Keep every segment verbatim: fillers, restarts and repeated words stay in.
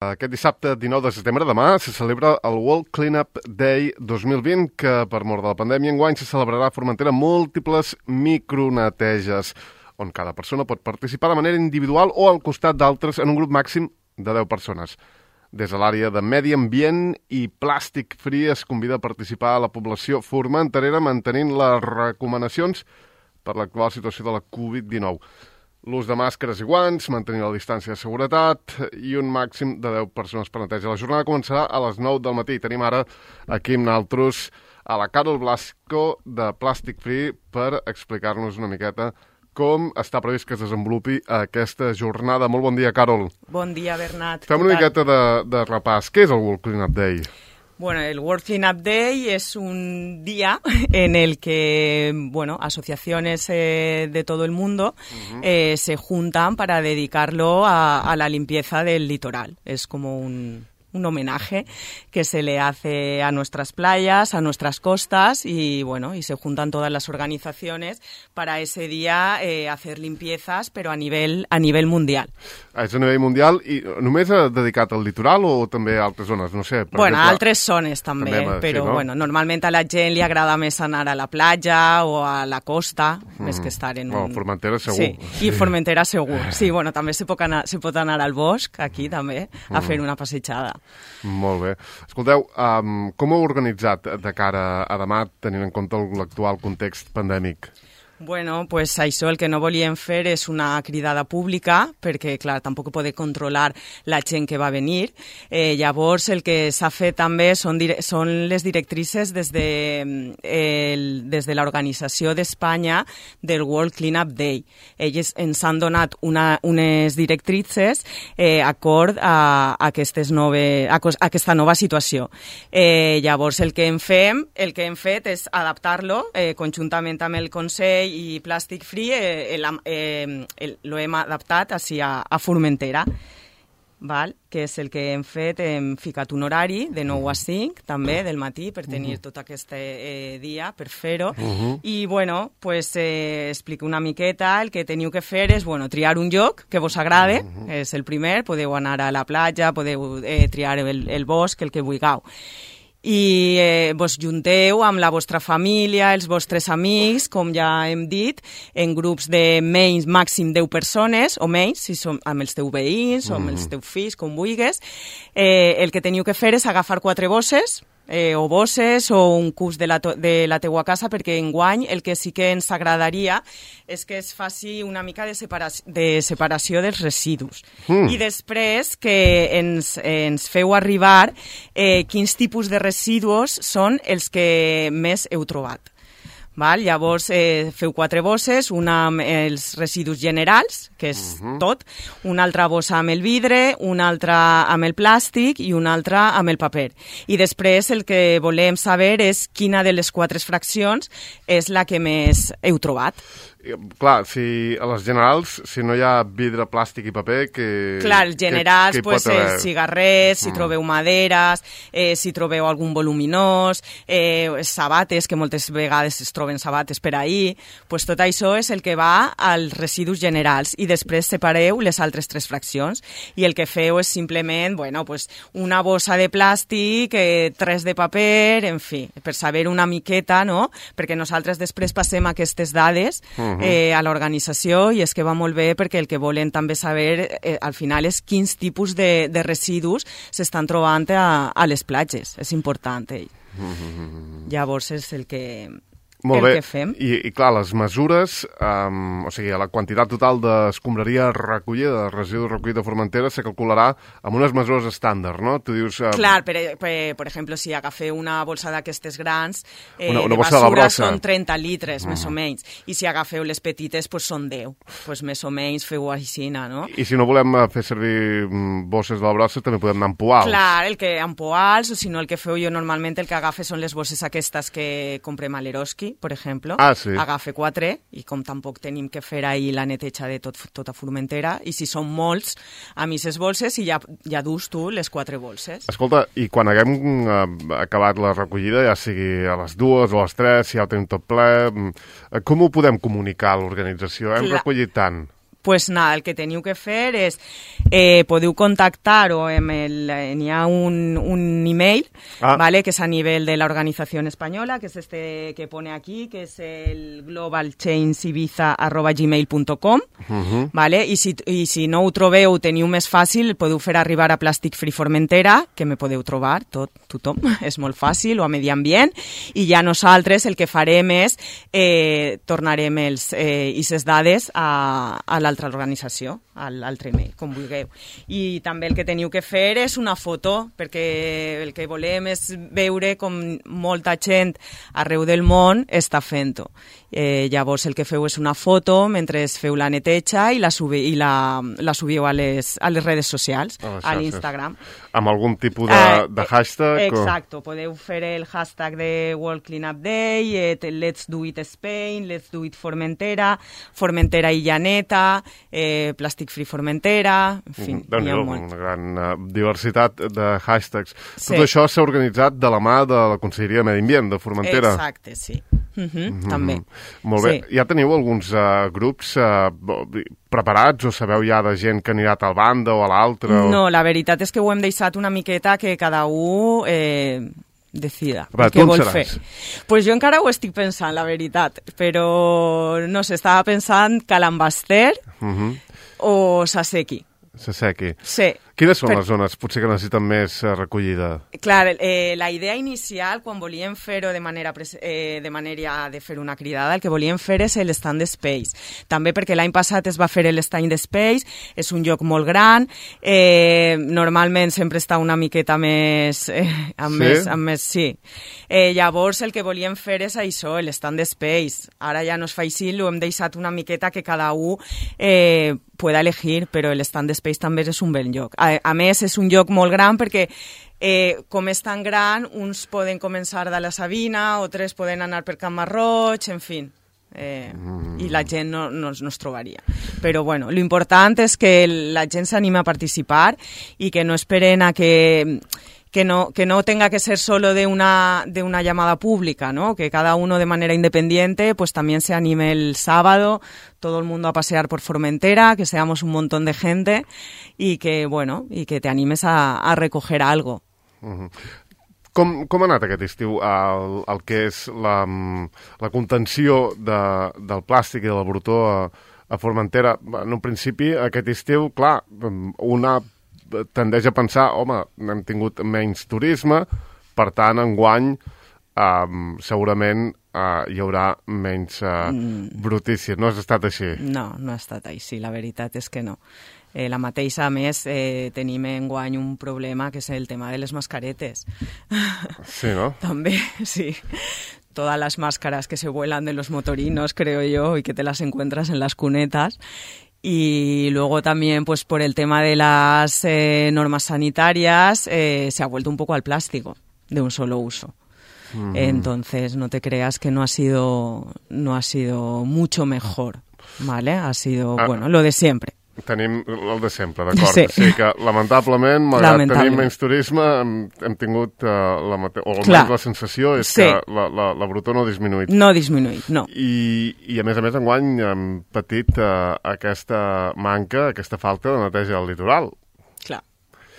Aquest dissabte, dinou de setembre, demà, se celebra el World Cleanup Day dos mil vint, que per mort de la pandèmia enguany se celebrarà a Formentera múltiples microneteges, on cada persona pot participar de manera individual o al costat d'altres en un grup màxim de deu persones. Des de l'àrea de Medi Ambient i Plàstic Free es convida a participar a la població formenterera mantenint les recomanacions per l'actual situació de la covid dinou. L'ús de màscares i guants, mantenir la distància de seguretat i un màxim de deu persones per neteja. La jornada començarà a les nou del matí. Tenim ara aquí amb nosaltres a la Carol Blasco de Plàstic Free per explicar-nos una miqueta com està previst que es desenvolupi aquesta jornada. Molt bon dia, Carol. Bon dia, Bernat. Fem una miqueta de, de repàs. Què és el World Cleanup Day? Bueno, el World Cleanup Day es un día en el que, bueno, asociaciones eh, de todo el mundo uh-huh. eh, se juntan para dedicarlo a, a la limpieza del litoral. Es como un... un homenaje que se le hace a nuestras playas, a nuestras costas y bueno, y se juntan todas las organizaciones para ese día eh, hacer limpiezas, pero a nivel a nivel mundial. És a nivell mundial i només dedicat al litoral o també a altres zones? No sé. Bueno, a altres zones també, també però sí, no? Bueno, normalment a la gent li agrada més anar a la platja o a la costa, mm. més que estar en un... Bueno, Formentera segur. Sí, sí. I Formentera segur. Sí, bueno, també se pot anar, se pot anar al bosc, aquí també, a mm. fer una passejada. Molt bé. Escolteu, um, com ho heu organitzat de cara a demà, tenint en compte l'actual context pandèmic? Bueno, pues això el que no volíem fer és una cridada pública, perquè, clar, tampoc poder controlar la gent que va venir. Eh, llavors, el que s'ha fet també són, dire- són les directrices des de, el, des de l'Organització d'Espanya del World Cleanup Day. Ells ens han donat una, unes directrices eh, acord a, a, aquestes nove, a, a aquesta nova situació. Eh, llavors, el que hem, fem, el que hem fet és adaptar-lo eh, conjuntament amb el Consell i Plàstic Free, eh, el, eh, el, lo hem adaptat així a, a Formentera, val? Que és el que hem fet, hem ficat un horari de nou a cinc, també, del matí, per tenir uh-huh. tot aquest eh, dia, per fer-ho. Uh-huh. I, bueno, pues, eh, explico una miqueta. El que teniu que fer és, bueno, triar un lloc que vos agrade, uh-huh. és el primer. Podeu anar a la platja, podeu eh, triar el, el bosc, el que vulgueu. I eh, vos junteu amb la vostra família, els vostres amics, com ja hem dit, en grups de menys màxim deu persones, o menys, si som amb els teus veïns o amb els teus fills, com vulguis. Eh, el que teniu que fer és agafar quatre bosses, eh, o bosses o un cus de la, to- de la teua casa, perquè enguany el que sí que ens agradaria és que es faci una mica de, separa- de separació dels residus. Mm. I després que ens, ens feu arribar eh, quins tipus de residus són els que més heu trobat. Val? Llavors eh, feu quatre bosses, una amb els residus generals, que és uh-huh. tot, una altra bossa amb el vidre, una altra amb el plàstic i una altra amb el paper. I després el que volem saber és quina de les quatre fraccions és la que més heu trobat. Clar, si a les generals, si no hi ha vidre, plàstic i paper, que... Clar, els generals, que, que pues, eh, cigarrets, si mm. trobeu maderes, eh, si trobeu algun voluminós, eh, sabates, que moltes vegades es troben sabates per ahir, pues tot això és el que va als residus generals i després separeu les altres tres fraccions i el que feu és simplement, bueno, pues, una bossa de plàstic, eh, tres de paper, en fi, per saber una miqueta, no? Perquè nosaltres després passem aquestes dades mm. Eh, a l'organització i és que va molt bé perquè el que volen també saber eh, al final és quins tipus de, de residus s'estan trobant a, a les platges. És important. Eh? Mm-hmm. Llavors és el que... Molt el bé, que fem. I, i clar, les mesures, um, o sigui, la quantitat total d'escombraria recollida, de residus recollits de Formentera, se calcularà amb unes mesures estàndard, no? Tu dius... Um... Clar, per, per, per exemple, si agafeu una bolsa d'aquestes grans, eh, una, una de bossa basura de són trenta litres, mm. més o menys, i si agafeu les petites, pues, són deu. Pues, més o menys feu així, no? I si no volem fer servir bosses de la brossa, també podem anar amb poals. Clar, el que amb poals, o si no el que feu jo normalment el que agafe són les bosses aquestes que comprem a l'Eroski, per exemple, ah, sí. agafe quatre, i com tampoc tenim que fer ahir la neteja de tot, tota Formentera, i si són molts, a mi ses bolses, i ja, ja dus tu les quatre bolses. Escolta, i quan haguem eh, acabat la recollida, ja sigui a les dues o a les tres, si ja ho tenim tot ple, com ho podem comunicar a l'organització? Hem Clar. recollit tant. pues nada, el que teniu que fer és, eh, podeu contactar o amb el, eh, n'hi ha un, un email, ah. ¿vale? Que és a nivell de la organización española, que és este que pone aquí, que és el global change ibiza arroba gmail punto com, uh-huh. ¿vale? I si, i si no ho trobeu, teniu més fàcil, podeu fer arribar a Plastic Free Formentera, que me podeu trobar, tot, tothom, és molt fàcil, o a Medi Ambient, i ja nosaltres el que farem és eh, tornarem els, eh, ses dades a, a l'altra organització, a l'altre email, com vulgueu. I també el que teniu que fer és una foto, perquè el que volem és veure com molta gent arreu del món està fent-ho. Eh, llavors el que feu és una foto mentre feu la neteja i la, subi, i la, la subiu a les, a les redes socials, a, a l'Instagram. Amb algun tipus de, uh, de hashtag? Exacte, o... podeu fer el hashtag de World Cleanup Day, eh, Let's Do It Spain, Let's Do It Formentera, Formentera i Llaneta, eh, Plastic Free Formentera, en fi, mm, hi ha molt. Una gran uh, diversitat de hashtags. Sí. Tot això s'ha organitzat de la mà de la Conselleria de Medi Ambient de Formentera. Exacte, sí. Uh-huh, mm-hmm. També. Molt bé. Sí. Ja teniu alguns uh, grups uh, preparats o sabeu ja de gent que anirà a tal banda o a l'altra? O... No, la veritat és que ho hem deixat una miqueta que cada un eh, decida Va, què vol seràs? fer. Pues jo encara ho estic pensant, la veritat, però no sé, estava pensant Calambaster uh-huh. o Saseki. Saseki. Sí. Quines són per... les zones potser que necessiten més eh, recollida? Clar, eh, la idea inicial, quan volíem fer-ho de manera, eh, de manera de fer una cridada, el que volíem fer és l'Stand Space. També perquè l'any passat es va fer l'Stand Space, és un lloc molt gran, eh, normalment sempre està una miqueta més... Eh, amb sí? més, amb més sí. Eh, llavors el que volíem fer és això, l'Stand Space. Ara ja no es fa així, ho hem deixat una miqueta que cada un eh, pueda elegir, però l'Stand Space també és un bel lloc. A, a més, és un lloc molt gran perquè eh, com és tan gran, uns poden començar de la Sabina, altres poden anar per Can Marroig, en fi. Eh, mm. I la gent no, no, no es trobaria. Però bueno, l'important és que la gent s'anima a participar i que no esperen a que... Que no, que no tenga que ser solo de una, de una llamada pública, ¿no? Que cada uno de manera independiente pues también se anime el sábado, todo el mundo a pasear por Formentera, que seamos un montón de gente y que, bueno, y que te animes a, a recoger algo. Uh-huh. Com, com ha anat aquest estiu el, el que és la, la contenció de, del plàstic i del brutó a, a Formentera? En un principi, aquest estiu, clar, una tendeix a pensar, home, hem tingut menys turisme, per tant, enguany um, segurament uh, hi haurà menys uh, mm. brutícia. No ha estat així? No, no ha estat així, la veritat és que no. Eh, la mateixa, a més, eh, tenim enguany un problema que és el tema de les mascaretes. Sí, no? També, sí. Todas las máscaras que se vuelan de los motorinos, creo yo, y que te las encuentras en las cunetas. Y luego también, pues por el tema de las eh, normas sanitarias, eh, se ha vuelto un poco al plástico de un solo uso. Mm. Entonces, no te creas que no ha sido, no ha sido mucho mejor, ¿vale? Ha sido, ah. bueno, lo de siempre. Tenim el de sempre, d'acord. Sí. Sí, que lamentablement, malgrat lamentablement. tenir menys turisme, hem, hem tingut, uh, la mate... o almenys la sensació és sí. que la, la, la brutó no ha disminuït. No ha disminuït, no. I, i a més a més, enguany hem patit uh, aquesta manca, aquesta falta de neteja al litoral. Clar,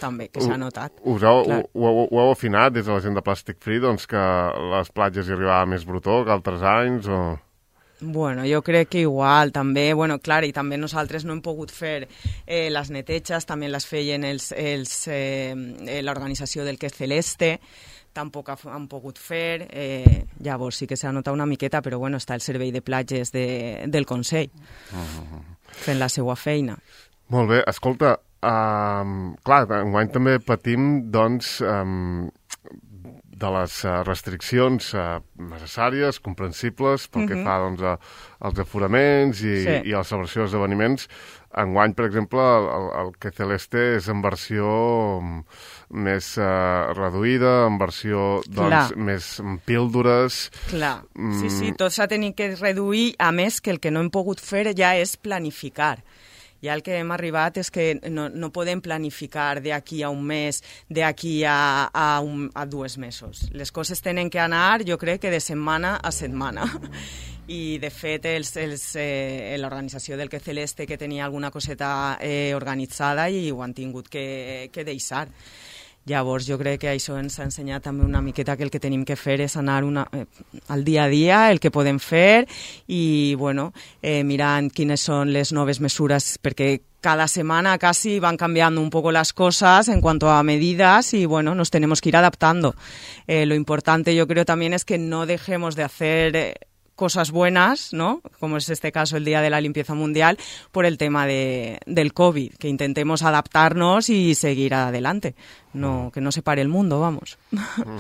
també, que s'ha notat. Us heu, ho, ho, ho heu afinat des de la gent de Plastic Free, doncs que les platges hi arribava més brutó que altres anys, o... Bueno, jo crec que igual, també, bueno, clar, i també nosaltres no hem pogut fer eh, les neteges, també les feien els, els, eh, l'organització del Que Celeste, tampoc han pogut fer, eh, llavors sí que s'ha notat una miqueta, però bueno, està el servei de platges de, del Consell, uh-huh. fent la seva feina. Molt bé, escolta, um, clar, enguany també patim, doncs, um, de les uh, restriccions uh, necessàries, comprensibles, pel uh-huh. que fa doncs, a, als aforaments i, sí. i a la celebració d'esdeveniments. Enguany, per exemple, el, el Que Celeste és en versió més uh, reduïda, en versió doncs, més píldores. Clar, mm. sí, sí, tot s'ha tingut que reduir, a més que el que no hem pogut fer ja és planificar. Ja el que hem arribat és que no, no podem planificar d'aquí a un mes, d'aquí a, a, un, a dos mesos. Les coses tenen que anar, jo crec que de setmana a setmana. I, de fet, els, els, eh, l'organització del Que Celeste, que tenia alguna coseta eh, organitzada, i ho han tingut que, que deixar. Llavors, jo crec que això ens ha ensenyat també una miqueta que el que tenim que fer és anar una, eh, al dia a dia, el que podem fer, i, bueno, eh, mirant quines són les noves mesures, perquè cada semana casi van cambiando un poco las cosas en cuanto a medidas y, bueno, nos tenemos que ir adaptando. Eh, lo importante, yo creo, también es que no dejemos de hacer Eh, cosas buenas, ¿no? Como es este caso el Día de la Limpieza Mundial, por el tema de, del COVID, que intentemos adaptarnos y seguir adelante, no, que no se pare el mundo, vamos. Uh-huh.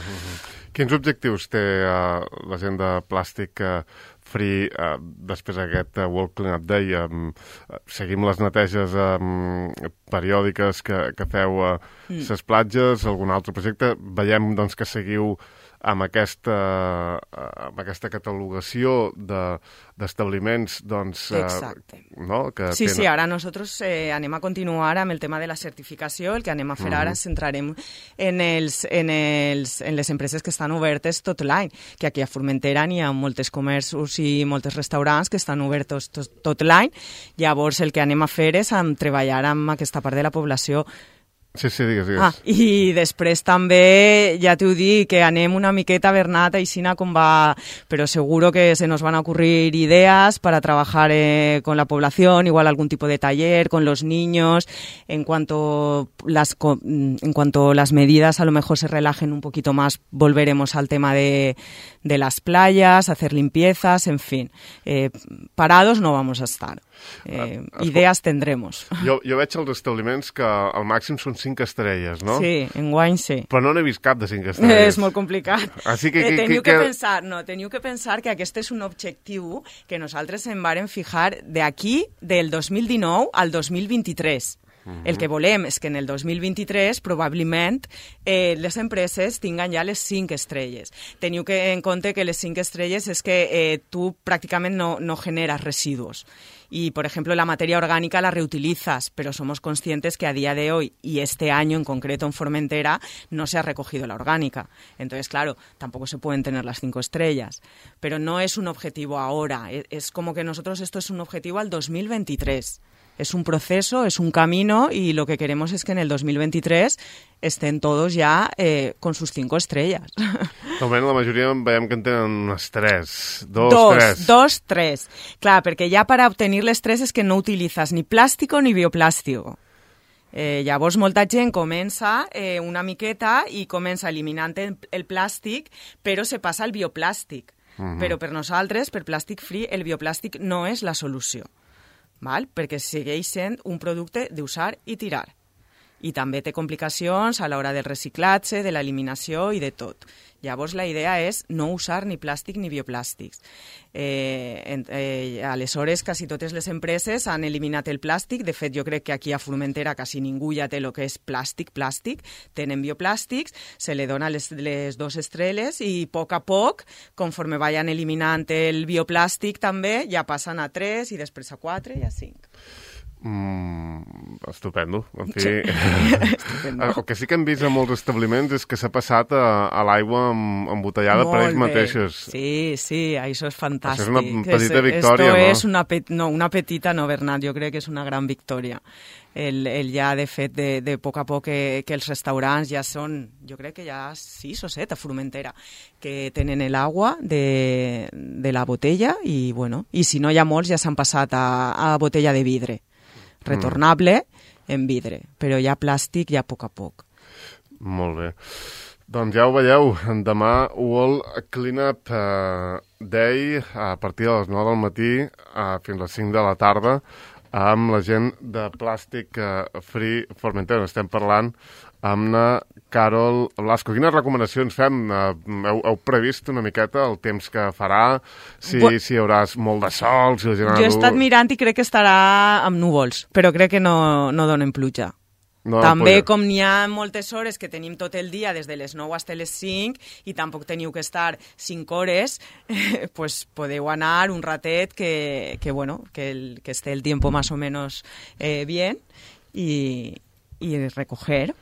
Quins objectius té uh, la gent de Plàstic uh, Free uh, després d'aquest uh, World Cleanup Day? Um, uh, seguim les neteges um, periòdiques que, que feu a uh, mm. les platges, algun altre projecte? Veiem, doncs, que seguiu amb aquesta, amb aquesta catalogació de, d'establiments, doncs, Exacte. Eh, no? Que sí, tenen... sí, ara nosaltres eh, anem a continuar amb el tema de la certificació. El que anem a fer mm-hmm. ara ens centrarem en, els, en, els, en les empreses que estan obertes tot l'any, que aquí a Formentera hi ha moltes comerços i moltes restaurants que estan oberts tot, tot l'any. Llavors el que anem a fer és a treballar amb aquesta part de la població. Sí, sí, digues, digues. Ah, i després també, ja t'ho dic, que anem una miqueta, Bernat, aixina com va, però seguro que se nos van a ocurrir ideas para trabajar eh, con la población, igual algún tipo de taller con los niños, en cuanto las, en cuanto las medidas a lo mejor se relajen un poquito más, volveremos al tema de, de las playas, hacer limpiezas, en fin. Eh, parados no vamos a estar. Eh, uh, idees tendremos. Jo, jo veig els establiments que al màxim són cinc estrelles, no? Sí, enguany sí. Però no n'he vist cap de cinc estrelles. És molt complicat. Així que, eh, que, teniu que, que, que pensar, no, teniu que pensar que aquest és un objectiu que nosaltres en vàrem fijar d'aquí del dos mil dinou al dos mil vint-i-tres. Uh-huh. El que volem és que en el dos mil vint-i-tres probablement eh, les empreses tinguen ja les cinc estrelles. Teniu que en compte que les cinc estrelles és que eh, tu pràcticament no, no generas residus. Y, por ejemplo, la materia orgánica la reutilizas, pero somos conscientes que a día de hoy, y este año en concreto en Formentera, no se ha recogido la orgánica. Entonces, claro, tampoco se pueden tener las cinco estrellas. Pero no es un objetivo ahora, es como que nosotros esto es un objetivo al dos mil veintitrés. Es un proceso, es un camino, y lo que queremos es que en el dos mil veintitrés estén todos ja eh, con sus cinco estrellas. Almenys la majoria veiem que en tenen unes tres, dos, dos tres. Dos, tres. Clar, perquè ja per obtenir les tres és que no utilitzes ni plàstico ni bioplàstico. Eh, llavors molta gent comença eh, una miqueta i comença eliminant el, el plàstic, però se passa al bioplàstic. Uh-huh. Però per nosaltres, per Plàstic Free, el bioplàstic no és la solució. Val? Perquè segueix sent un producte d'usar i tirar. I també té complicacions a l'hora del reciclatge, de l'eliminació i de tot. Llavors la idea és no usar ni plàstic ni bioplàstics. Eh, eh, aleshores, quasi totes les empreses han eliminat el plàstic. De fet, jo crec que aquí a Formentera quasi ningú ja té el que és plàstic, plàstic. Tenen bioplàstics, se li dona les, les dos estrelles i a poc a poc, conforme vayan eliminant el bioplàstic també, ja passen a tres i després a quatre i a cinc. Mm, estupendo. En fi, sí. Estupendo. El que sí que hem vist a molts establiments és que s'ha passat a, a l'aigua embotellada per ells mateixos. Sí, sí, això és fantàstic. Això és una petita és, victòria, esto no? És una, pet, no, una petita, no, Bernat, jo crec que és una gran victòria. El, el ja, de fet, de, de poc a poc que, que els restaurants ja són, jo crec que ja sis o set a Formentera, que tenen l'aigua de, de la botella i, bueno, i si no hi ha molts ja s'han passat a, a botella de vidre. Retornable en vidre, però ja plàstic ja a poc a poc. Molt bé. Doncs ja ho veieu, demà World Cleanup uh, Day a partir de les nou del matí uh, fins a les cinc de la tarda amb la gent de Plàstic uh, Free Formentera. Estem parlant amb la Carol Blasco. Quines recomanacions fem? Uh, heu, heu previst una miqueta el temps que farà? Si, Bu si hi haurà molt de sol? Si la gent jo he estat mirant i crec que estarà amb núvols, però crec que no, no donen pluja. No, També, poder. com n'hi ha moltes hores que tenim tot el dia, des de les nou fins a les cinc, i tampoc teniu que estar cinc hores, eh, pues podeu anar un ratet que, que, bueno, que, el, que esté el tiempo más o menos eh, bien y, y recoger.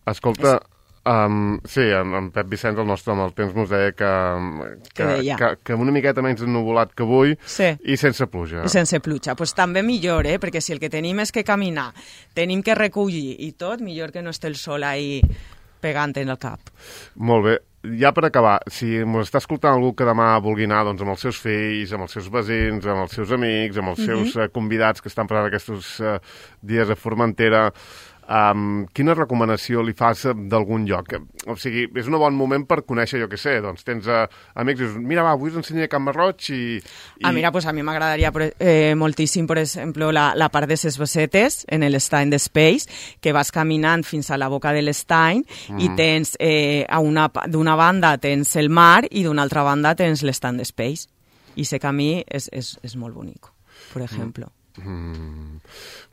Escolta, um, sí, en, en Pep Vicenç, el nostre home del temps, mos deia que, que, que, que, que una miqueta menys ennuvolat que avui sí. i sense pluja. Sense pluja. Pues també millor, eh? Perquè si el que tenim és que caminar, tenim que recollir i tot, millor que no esté el sol ahí pegant en el cap. Molt bé. Ja per acabar, si ens està escoltant algú que demà vulgui anar doncs, amb els seus fills, amb els seus veïns, amb els seus amics, amb els seus mm-hmm. uh, convidats que estan passant aquests uh, dies a Formentera, Um, quina recomanació li fas d'algun lloc? O sigui, és un bon moment per conèixer, jo què sé, doncs tens uh, amics i dius, mira, va, avui us ensenyaré Can Marroig i... i... Ah, mira, pues a mi m'agradaria eh, moltíssim, per exemple, la, la part de ses Basetes, en l'estany d'Space, que vas caminant fins a la boca de l'estany mm. i tens, eh, a una, d'una banda tens el mar i d'una altra banda tens l'estany d'Space. I ese camí és, és, és molt bonic, per exemple. Mm. Mm,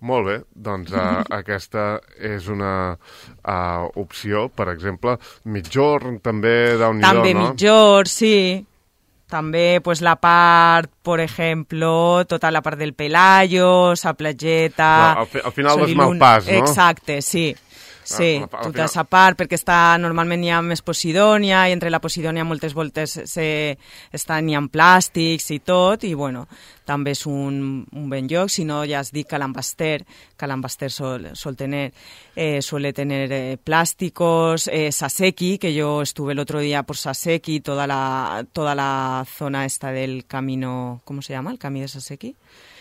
molt bé, doncs uh, aquesta és una uh, opció, per exemple, mitjorn també d'un també no? mitjorn, sí. També pues, la part, per exemple, tota la part del Pelayo, sa platgeta... No, al, fi, al final del Malpàs, no? Exacte, sí. Sí, ah, tota aquesta part, perquè està, normalment hi ha més Posidònia, i entre la Posidònia moltes voltes se, estan, hi ha plàstics i tot, i bueno, també és un, un ben lloc. Si no, ja has dit que l'Ambaster, que l'Ambaster sol, sol tener, eh, suele tener eh, plásticos, eh, Saseki, que yo estuve el otro día por Saseki, toda la, toda la zona esta del camino, ¿cómo se llama? El camí de Saseki.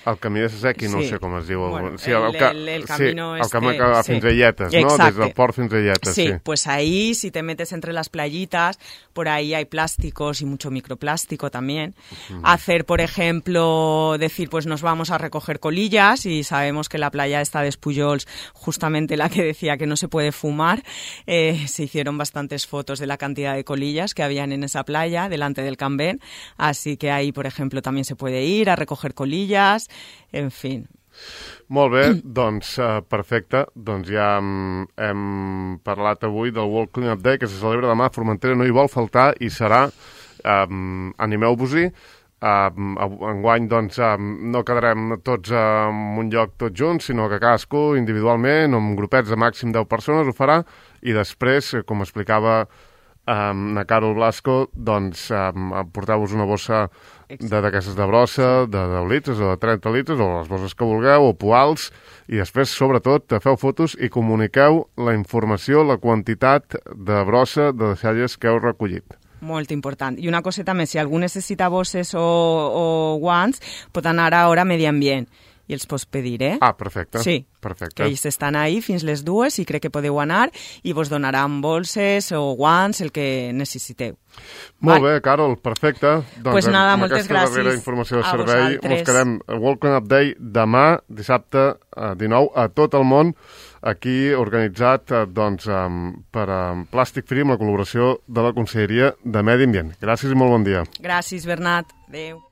El camí de Saseki, no sí. sé com es diu. Bueno, sí, el, el, el, el camino sí, este... el camí que va fins sí. a Illetes, ¿no? Exacte. Des del port fins a Illetes, sí. Sí, pues ahí, si te metes entre las playitas, por ahí hay plásticos y mucho microplástico también. Uh-huh. Hacer, por ejemplo, decir, pues nos vamos a recoger colillas, y sabemos que la playa esta de Espullols, justamente la que decía que no se puede fumar, eh, se hicieron bastantes fotos de la cantidad de colillas que habían en esa playa, delante del Can Ben, así que ahí, por ejemplo, también se puede ir a recoger colillas, en fin. Molt bé, doncs uh, perfecte. Doncs ja um, hem parlat avui del World Cleanup Day, que se celebra demà a Formentera, no hi vol faltar, i serà, um, animeu-vos-hi. Um, enguany doncs um, no quedarem tots en un lloc tots junts, sinó que cadascú individualment, amb grupets de màxim deu persones, ho farà, i després, com explicava um, na Carol Blasco, doncs um, porteu-vos una bossa d'aquestes de brossa, de deu litres o de trenta litres, o les bosses que vulgueu, o poals, i després, sobretot, feu fotos i comuniqueu la informació, la quantitat de brossa de deixalles que heu recollit. Molt important. I una coseta més, si algú necessita bosses o, o guants, pot anar ara a Medi Ambient i els pots pedir, eh? Ah, perfecte. Sí, perfecte. que ells estan ahí fins les dues i crec que podeu anar i vos donaran bolses o guants, el que necessiteu. Molt bé, Carol, perfecte. Doncs pues nada, amb moltes aquesta gràcies darrera informació de a servei vosaltres. ens quedem a World Cleanup Day demà, dissabte dinou, a tot el món, aquí organitzat doncs, per Plàstic Free amb la col·laboració de la Conselleria de Medi Ambient. Gràcies i molt bon dia. Gràcies, Bernat. Adéu.